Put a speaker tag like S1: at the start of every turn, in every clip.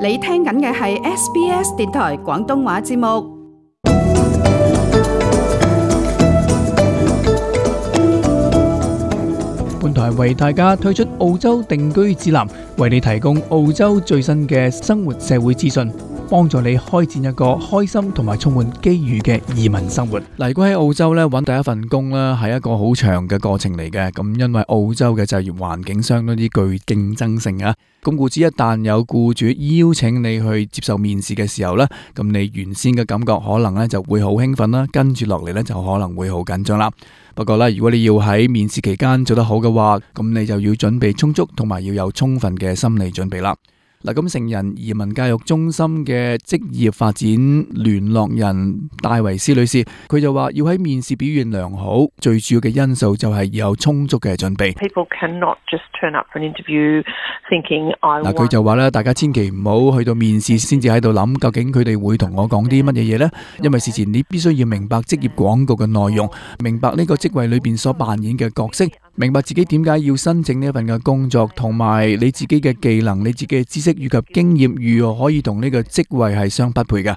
S1: 你聽緊嘅係 SBS 電台廣東話節目。
S2: 本台為大家推出澳洲定居指南，為你提供澳洲最新嘅生活社會資訊，幫助你開展一個開心同埋充滿機遇嘅移民生活。嗱，如果喺澳洲咧揾第一份工咧，係一個好長嘅過程嚟嘅。咁因為澳洲嘅就業環境相當之具競爭性啊。咁故此一旦有僱主邀請你去接受面試嘅時候咧，咁你原先嘅感覺可能咧就會好興奮啦，跟住落嚟咧就可能會好緊張啦。不過咧，如果你要喺面試期間做得好嘅話，咁你就要準備充足，同埋要有充分嘅心理準備啦。嗱，咁成人移民教育中心嘅職業發展聯絡人戴維斯女士，佢就話要喺面試表現良好，最主要嘅因素就係要有充足嘅準備。
S3: People cannot just turn up for an interview thinking I want。
S2: 佢就話咧，大家千祈唔好去到面試先至喺度諗究竟佢哋會同我講啲乜嘢嘢呢？因為事前你必須要明白職業廣告嘅內容，明白呢個職位裏邊所扮演嘅角色，明白自己點解要申請呢一份嘅工作，同埋你自己嘅技能、你自己嘅知識以及經驗如何可以同呢個職位係相匹配嘅。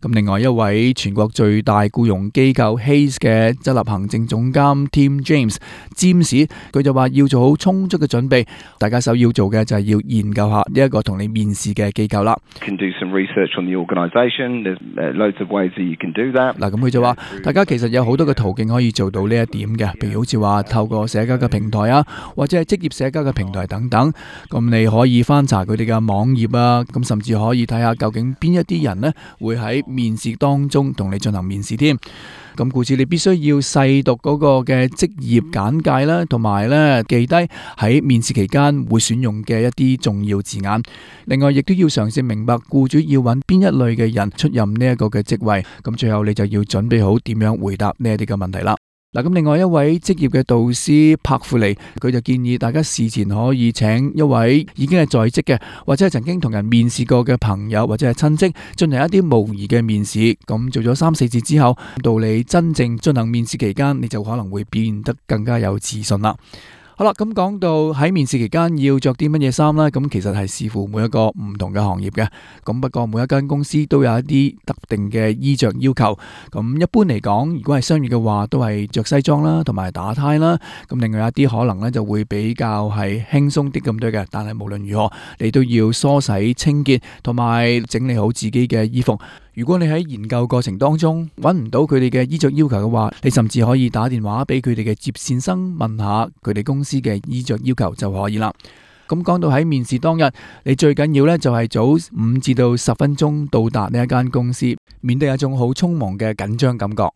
S2: 咁另外一位全國最大僱傭機構 Hayes 嘅執行行政總監 Tim James 詹士，佢就話要做好充足嘅準備。大家首要做嘅就係要研究下呢一個同你面試嘅機構啦。
S4: Can do some research on the organisation. There's loads of ways that you can do that.
S2: 嗱，咁佢就話，大家其實有好多嘅途徑可以做到呢一點嘅，譬如好似話透過社交嘅平台啊，或者係職業社交嘅平台等等。咁你可以翻查佢哋嘅網頁啊，咁甚至可以睇下究竟邊一啲人呢會喺面試當中同你進行面試添。咁故此你必須要細讀嗰個嘅職業簡介啦，同埋咧記低喺面試期間會選用嘅一啲重要字眼。另外亦都要嘗試明白僱主要揾邊一類嘅人出任呢一個嘅職位。咁最後你就要準備好點樣回答呢一啲嘅問題啦。嗱，咁另外一位職業嘅導師柏富尼，佢就建議大家事前可以請一位已經係在職嘅，或者係曾經同人面試過嘅朋友或者係親戚進行一啲模擬嘅面試。咁做咗3-4次之後，到你真正進行面試期間，你就可能會變得更加有自信啦。好啦，咁講到喺面試期間要着啲乜嘢衫呢？咁其實係視乎每一個唔同嘅行業嘅。咁不過每一間公司都有一啲特定嘅衣着要求。咁一般嚟講，如果係商業嘅話，都係着西裝啦，同埋打呔啦。咁另外一啲可能呢就會比較係輕鬆啲咁多嘅。但係無論如何，你都要梳洗清潔，同埋整理好自己嘅衣服。如果你喺研究過程當中揾唔到佢哋嘅衣着要求嘅話，你甚至可以打電話俾佢哋嘅接線生問下佢哋公司嘅衣着要求就可以啦。咁講到喺面試當日，你最緊要呢就係早5至到10分鐘到達呢一間公司，免得有一種好匆忙嘅緊張感覺。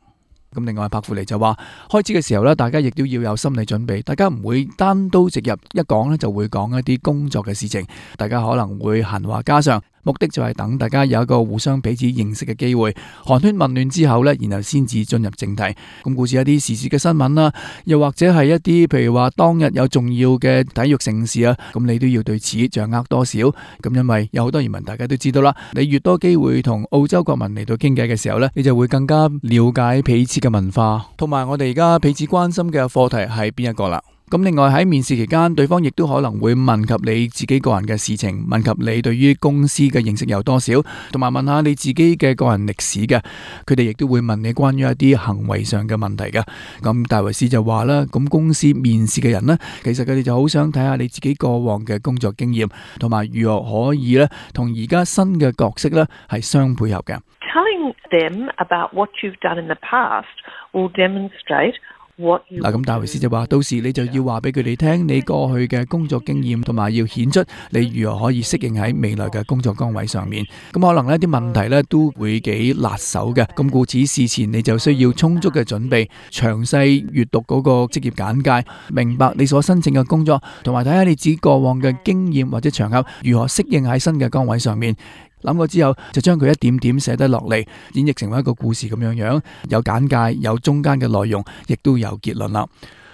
S2: 咁另外柏富尼就話，開始嘅時候呢，大家亦都要有心理準備，大家唔會單刀直入，一講呢就會講一啲工作嘅事情，大家可能會閒話家常，目的就係等大家有一個互相彼此認識嘅機會，寒暄問暖之後呢，然後先至進入正題。咁故事一啲時事嘅新聞啦，又或者係一啲譬如話當日有重要嘅體育盛事啊，咁你都要對此掌握多少。咁因為有好多移民大家都知道啦，你越多機會同澳洲國民嚟到傾偈嘅時候呢，你就會更加了解彼此嘅文化，同埋我哋而家彼此關心嘅課題係邊一個啦。咁另外喺面試期間，對方亦都可能會問及你自己個人嘅事情，問及你對於公司嘅認識有多少，同埋問下你自己嘅個人歷史嘅。佢哋亦都會問你關於一啲行為上嘅問題嘅。咁戴維斯就話啦，咁公司面試嘅人呢，其實佢哋就好想睇下你自己過往嘅工作經驗，同埋如何可以呢同而家新嘅角色呢係相配合嘅。
S3: Telling them about what you've done in the past will demonstrate嗱，
S2: 咁戴維斯就話，到時你就要話俾佢哋聽你過去嘅工作經驗，同埋要顯出你如何可以適應喺未來嘅工作崗位上面。咁可能呢啲問題呢都會幾辣手嘅，咁故此事前你就需要充足嘅準備，詳細閱讀嗰個職業簡介，明白你所申請嘅工作，同埋睇下你自己過往嘅經驗或者場合如何適應喺新嘅崗位上面。諗過之後，就將佢一點點寫得落嚟，演繹成為一個故事咁樣樣，有簡介，有中間嘅內容，亦都有結論啦。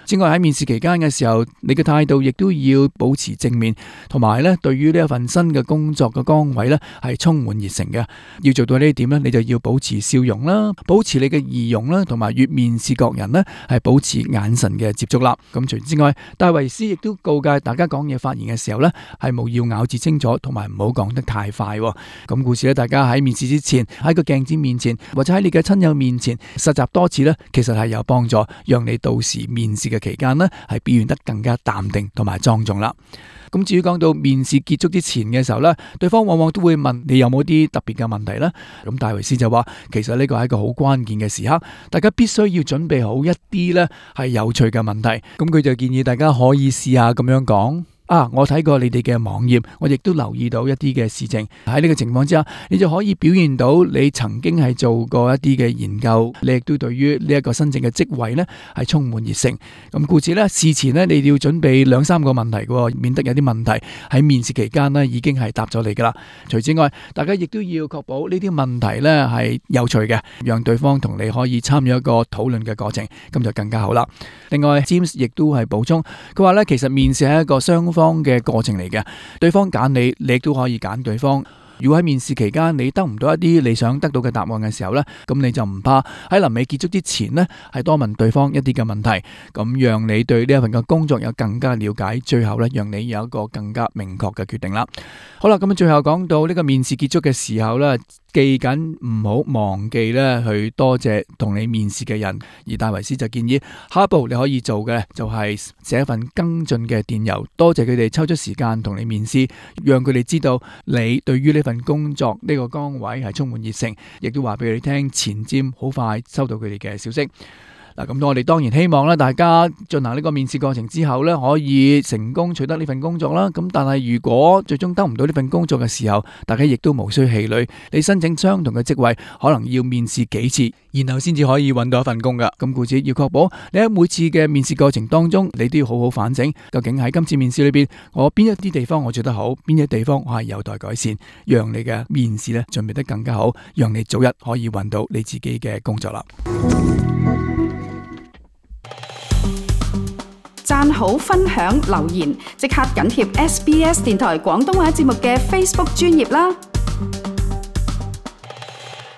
S2: 此外喺面試期間嘅時候，你嘅態度亦都要保持正面，同埋咧對於呢一份新嘅工作嘅崗位咧係充滿熱誠嘅。要做到呢一點咧，你就要保持笑容啦，保持你嘅儀容啦，同埋越面試各人咧係保持眼神嘅接觸啦。咁除此之外，戴維斯亦都告誡大家講嘢發言嘅時候咧係務要咬字清楚，同埋唔好講得太快。咁故此咧，大家喺面試之前喺個鏡子面前或者喺你嘅親友面前實習多次咧，其實係有幫助，讓你到時面試嘅期間呢係表現得更加淡定同埋莊重啦。咁至於講到面試結束之前嘅時候呢，對方往往都會問你有冇啲特別嘅問題呢？咁戴維斯就話，其實呢個係一個好關鍵嘅時刻，大家必須要準備好一啲呢係有趣嘅問題。咁佢就建議大家可以試下咁樣講。我睇過你哋嘅網頁，我亦都留意到一啲嘅事情。喺呢個情況之下，你就可以表現到你曾經係做過一啲嘅研究，你亦都對於呢一個新正嘅職位呢係充滿熱誠。咁故此呢，事前呢你要準備2-3個問題嘅，免得有啲問題喺面試期間呢已經係答咗你噶啦。除此之外，大家亦都要確保呢啲問題呢係有趣嘅，讓對方同你可以參與一個討論嘅過程，咁就更加好啦。另外 James 亦都係補充，佢話呢，其實面試係一個雙方嘅過程嚟嘅，對方揀你，你亦都可以揀對方。如果喺面試期間你得唔到一啲你想得到嘅答案嘅時候呢，咁你就唔怕喺臨尾結束之前呢，係多問對方一啲嘅問題，咁讓你對呢一份嘅工作有更加了解，最後呢，讓你有一個更加明確嘅決定啦。好啦，咁最後講到呢個面試結束嘅時候呢，記緊唔好忘記咧去多謝同你面試嘅人，而戴維斯就建議下一步你可以做嘅就係寫一份跟進嘅電郵，多謝佢哋抽出時間同你面試，讓佢哋知道你對於呢份工作呢個崗位係充滿熱誠，亦都話俾佢哋聽前瞻好快收到佢哋嘅消息。咁我哋當然希望大家進行呢個面試過程之後可以成功取得呢份工作啦。咁但係如果最終得唔到呢份工作嘅時候，大家亦都無需氣餒。你申請相同嘅職位，可能要面試幾次，然後先至可以揾到一份工噶。咁故此要確保你喺每次嘅面試過程當中，你都要好好反省，究竟喺今次面試裏邊，我邊一啲地方我做得好，邊一啲地方我係有待改善，讓你嘅面試準備得更加好，讓你早日可以揾到你自己嘅工作啦。
S1: 讚好、分享、留言，即刻緊貼SBS 電台廣東話節目嘅 Facebook 專頁啦！